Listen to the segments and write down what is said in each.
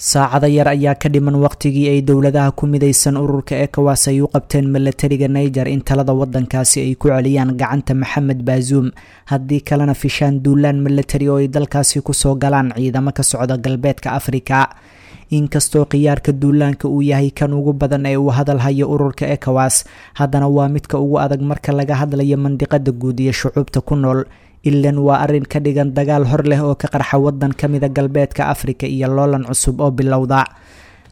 Saacado yar ayaa ka dhiman waqtigii ay dowladaha ku midaysan ururka ECOWAS ay u qabteen milatariga Niger in talada wadankaasi ay ku celiyaan gacanta Maxamed Baasuum, haddii kalena fishaan duulaan milatari oo ay dalkaasi kusoo galaan ciidamo ka socda galbeedka Afrika. Inkastoo khiyaarka duulaanka uu yahay kan ugu badan ee uu hadal hayo ururka ECOWAS, haddana waa midka ugu adag marka laga hadlayo mandiqada guud iyo shucuubta ku nool. Ilan waa arrin ka dhigan dagaal hor leh oo ka qarxa wadan ka mida galbeedka Afrika iyo loolan cusub oo bilowda.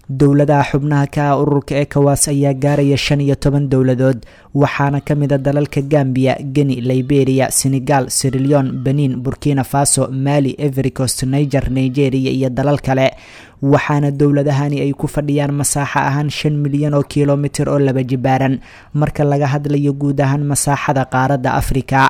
Dowladaha xubnaha ka ah ururka ECOWAS ayaa gaaraya 15 dowladood, waxaana ka mid a dalalka Gambiya, Geni, Liberia, Senegal, Sierra Leone, Benin, Burkina Faso, Mali, Ivory Coast, Niger, Nigeria iyo dalal kale. Waxaana dowladahani ay ku fadhiyaan masaaxo ahaan 5 milyan oo kilomitir oo laba jibaaran marka laga hadlayo guud ahaan masaaxada qaaradda Afrika.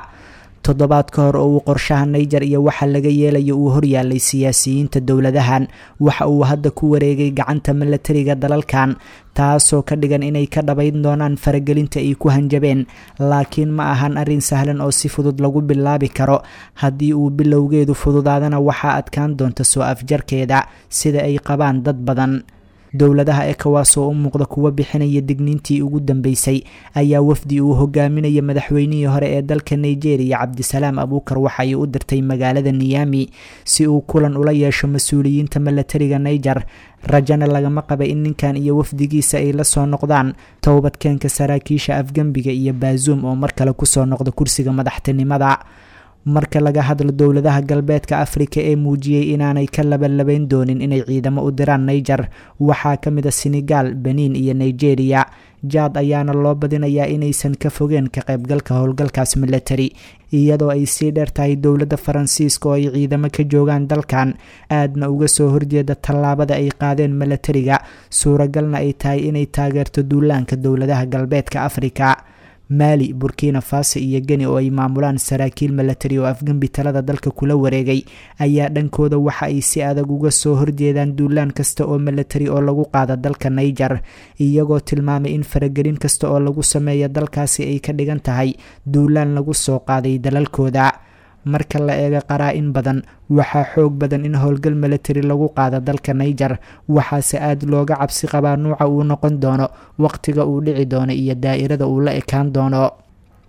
Toddobaad ka hor oo uu qorshaha Niger iyo waxa laga yeelayo uu horyaalay siyaasiyiinta dowladahan, waxa uu hadda ku wareegay gacanta milatariga dalalkan, taasoo ka dhigan inay ka dhabayn doonaan faragelinta ay ku hanjabeen. Laakiin ma ahan arrin sahlan oo si fudud lagu bilaabi karo. Haddii uu bilowgeedu fududaadana, waxaa adkaan doonta soo afjarkeeda, sida ay qabaan dad badan. Dowladaha ECOWAS oo u muuqda kuwa bixinaya digniintii ugu dambeysay ayaa wafdi uu hogaaminaya madaxweynihii hore ee dalka Nigeria, Cabdisalaam Abuukar, waxa ay u dirtay magaalada Niyami si uu kulan ula yeesho mas-uuliyiinta milatariga Niger. Rajana lagama qaba in ninkan iyo wafdigiisa ay la soo noqdaan towbadkeenka saraakiisha afgembiga iyo Baasuum oo mar kale kusoo noqda kursiga madaxtinimada. Marka laga hadlo dowladaha galbeedka Afrika ee muujiyey inaanay ka labalabayn doonin inay ciidamo u diraan Niger, waxaa ka mid a Senegal, Benin iyo Nigeria. Jaad ayaana loo badinayaa inaysan ka fogeen ka qaybgalka howlgalkaas milatari, iyadoo ay sii dheer tahay dowladda Faransiiska oo ay ciidamo ka joogaan dalkan, aadna uga soo horjeeda tallaabada ay qaadeen milatariga, suuragalna ay tahay inay taageerto duulaanka dowladaha galbeedka Afrika. Maali, Burkina Faso iyo Geni oo ay maamulaan saraakiil milatari oo afgembi talada dalka kula wareegay ayaa dhankooda waxa ay si adag uga soo horjeedaan duulaan kasta oo milatari oo lagu qaada dalka Niger, iyagoo tilmaamay in faragelin kasta oo lagu sameeya dalkaasi ay ka dhigan tahay duulaan lagu soo qaaday dalalkooda. Marka la eego qaraa-in badan, waxaa xoog badan in howlgal milatari lagu qaado dalka Niger, waxaase aada looga cabsi qabaa nuuca uu noqon doono, waqtiga uu dhici doono iyo daa'irada uu la ekaan doono.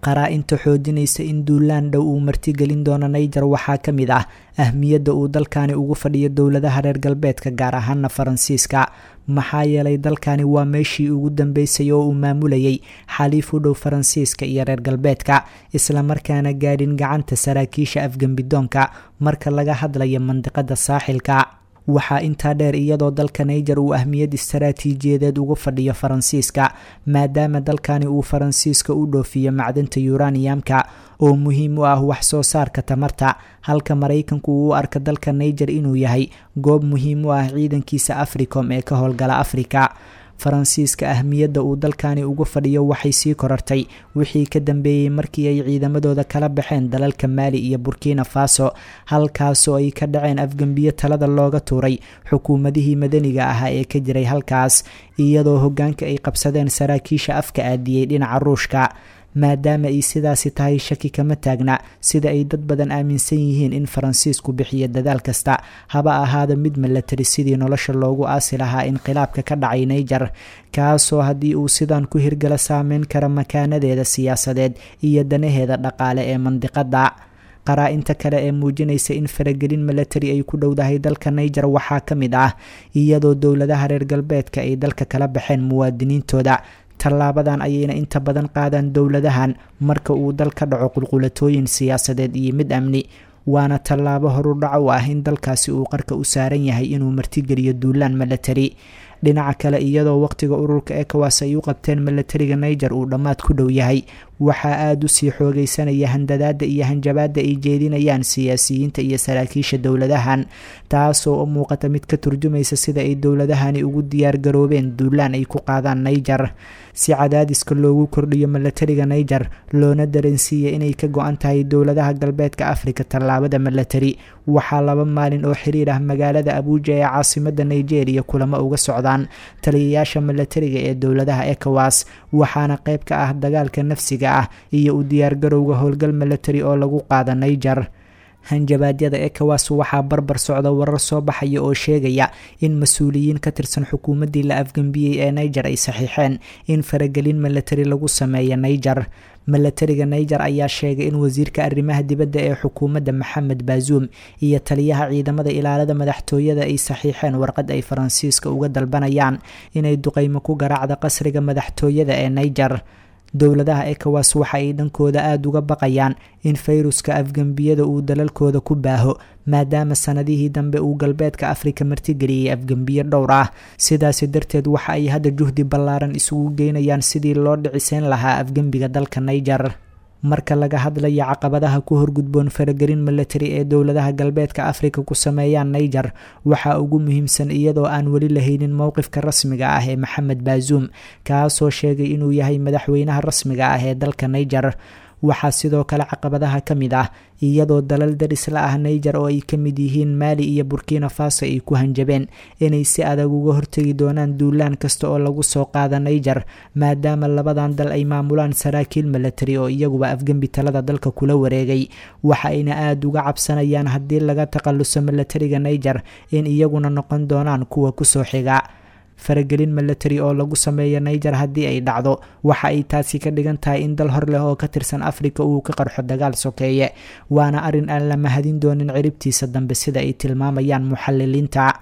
Qaraa-inta xoojinaysa in duulaan dhow uu martigelin doono Niger waxaa ka mid ah ahmiyadda uu dalkani ugu fadhiyo dowladaha reer galbeedka, gaar ahaana Faransiiska, maxaa yeelay dalkani waa meeshii ugu dambeysay oo uu maamulayay xaliif u dhow Faransiiska iyo reer galbeedka, islamarkaana gaadhin gacanta saraakiisha afgembidoonka marka laga hadlayo mandiqada saaxilka. Waxaa intaa dheer, iyadoo dalka Niger uu ahmiyad istaraatiijiyadeed ugu fadhiyo Faransiiska, maadaama dalkani uu Faransiiska u dhoofiyo macdanta yuraniyamka oo muhiim u ah wax soo saarka tamarta, halka Maraykanku uu u arka dalka Niger inuu yahay goob muhiim u ah ciidankiisa Africom ee ka howlgala Afrika. Faransiiska ahmiyadda uu dalkani ugu fadhiyo waxay sii korartay wixii ka dambeeyey markii ay ciidamadooda kala baxeen dalalka Maali iyo Burkina Faso, halkaasoo ay ka dhaceen afgembiyo talada looga tuuray xukuumadihii madaniga ahaa ee ka jiray halkaas, iyadoo hoggaanka ay qabsadeen saraakiisha afka aadiyey dhinaca Ruushka. Maadaama ay sidaasi tahay, shaki kama taagna sida ay dad badan aaminsan yihiin in Faransiisku bixiyo dadaal kasta, haba ahaada mid milatari, sidii nolosha loogu aasi lahaa inqilaabka ka dhacay Niger, kaasoo haddii uu sidan ku hirgala saameyn kara makaanadeeda siyaasadeed iyo danaheeda dhaqaale ee mandiqada. Qaraa-inta kale ee muujinaysa in faragelin milatari ay ku dhowdahay dalka Niger waxaa ka mid ah iyadoo dowladaha reer galbeedka ay dalka kala baxeen muwaadiniintooda. Tallaabadan ayayna inta badan qaadaan dowladahan marka uu dal ka dhaco qulqulatooyin siyaasadeed iyo mid amni, waana tallaabo horudhac u ah in dalkaasi uu qarka u saaran yahay inuu martigeliyo duulaan milatari. Dhinaca kale, iyadoo waqtiga ururka ECOWAS ay u qabteen milatariga Niger uu dhammaad ku dhow yahay, waxaa aada usii xoogeysanaya handadaada iyo hanjabaada ay jeedinayaan siyaasiyiinta iyo saraakiisha dowladahan, taasoo u muuqata mid ka turjumaysa sida ay dowladahani ugu diyaargaroobeen duulaan ay ku qaadaan Niger. Si cadaadiska loogu kordhiyo milatariga Niger loona dareensiiya inay ka go-an tahay dowladaha galbeedka Afrika tallaabada milatari, waxaa 2 maalin oo xiriir ah magaalada Abuuja ee caasimada Nigeria kulamo uga socdaan taliyayaasha milatariga ee dowladaha ECOWAS, waxaana qayb ka ah dagaalka nafsiga ah iyo u diyaargarowga howlgal milatari oo lagu qaada Niger. Hanjabaadyada ECOWAS waxaa barbar socda warar soo baxaya oo sheegaya in mas-uuliyiin ka tirsan xukuumaddii la afgembiyey ee Niger ay saxiixeen in faragelin milatari lagu sameeya Niger. Milatariga Niger ayaa sheegay in wasiirka arrimaha dibadda ee xukuumadda Maxamed Bazoum iyo taliyaha ciidamada ilaalada madaxtooyada ay saxiixeen warqad ay Faransiiska uga dalbanayaan inay duqeymo ku garaacda qasriga madaxtooyada ee Niger. Dowladaha ECOWAS waxa ay dhankooda aada uga baqayaan in fayruska afgembiyada uu dalalkooda ku baaho, maadaama sanadihii dambe uu galbeedka Afrika martigeliyey afgembiyo dhowr ah. Sidaasi darteed waxa ay hadda juhdi ballaaran isugu geynayaan sidii loo dhiciseyn lahaa afgembiga dalka Niger. Marka laga hadlayo caqabadaha ku horgudboon faragelin milatari ee dowladaha galbeedka Afrika ku sameeyaan Niger, waxaa ugu muhiimsan iyadoo aan weli lahaynin mowqifka rasmiga ah ee Maxamed Bazoum, kaasoo sheegay inuu yahay madaxweynaha rasmiga ah ee dalka Niger. Waxaa sidoo kale caqabadaha ka mid ah iyadoo dalal daris la ah Niger oo ay ka mid yihiin Maali iyo Burkina Faso ay ku hanjabeen inay si adag uga hortegi doonaan duulaan kasta oo lagu soo qaada Niger, maadaama labadan dal ay maamulaan saraakiil milatari oo iyaguba afgembi talada dalka kula wareegay. Waxa ayna aada uga cabsanayaan haddii laga takhaluso milatariga Niger in iyaguna noqon doonaan kuwa kusoo xiga. Faragelin milatari oo lagu sameeyo Niger haddii ay dhacdo, waxa ay taasi ka dhigan tahay in dal hor leh oo ka tirsan Afrika uu ka qarxo dagaal sokeeye, waana arrin aan la mahadin doonin ciribtiisa dambe, sida ay tilmaamayaan muxaliliinta.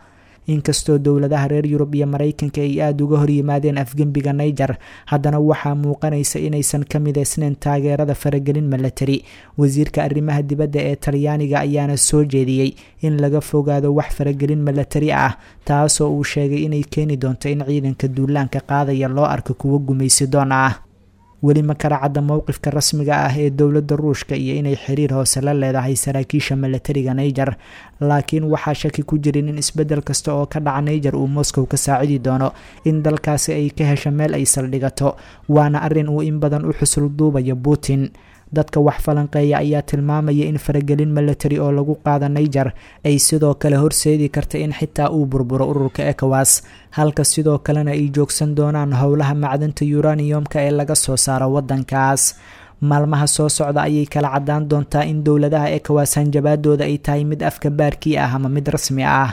Inkastoo dowladaha reer Yurub iyo Mareykanka ay aada uga horyimaadeen afgembiga Niger, haddana waxaa muuqanaysa inaysan ka midaysnayn taageerada faragelin milatari. Wasiirka arrimaha dibadda ee Talyaaniga ayaana soo jeediyey in laga fogaado wax faragelin milatari ah, taasoo uu sheegay inay keeni doonto in ciidanka duulaanka qaadaya loo arko kuwo gumaysidoon ah. Weli ma kala cadda mowqifka rasmiga ah ee dowladda Ruushka iyo inay xiriir hoose la leedahay saraakiisha milatariga Niger, laakiin waxaa shaki ku jirin in isbeddel kasta oo ka dhaca Niger uu Moscow ka saacidi doono in dalkaasi ay ka hesho meel ay saldhigato, waana arrin uu in badan u xusul duubayo Putin. Dadka wax falanqeeya ayaa tilmaamaya in faragelin milatari oo lagu qaado Niger ay sidoo kale horseedi karta in xitaa uu burburo ururka ECOWAS, halka sidoo kalena ay joogsan doonaan howlaha macdanta uraniumka ee laga soo saaro waddankaas. Maalmaha soo socda ayay kala caddaan doontaa in dowladaha ECOWAS hanjabaadooda ay tahay mid afka baarkii ah ama mid rasmi ah.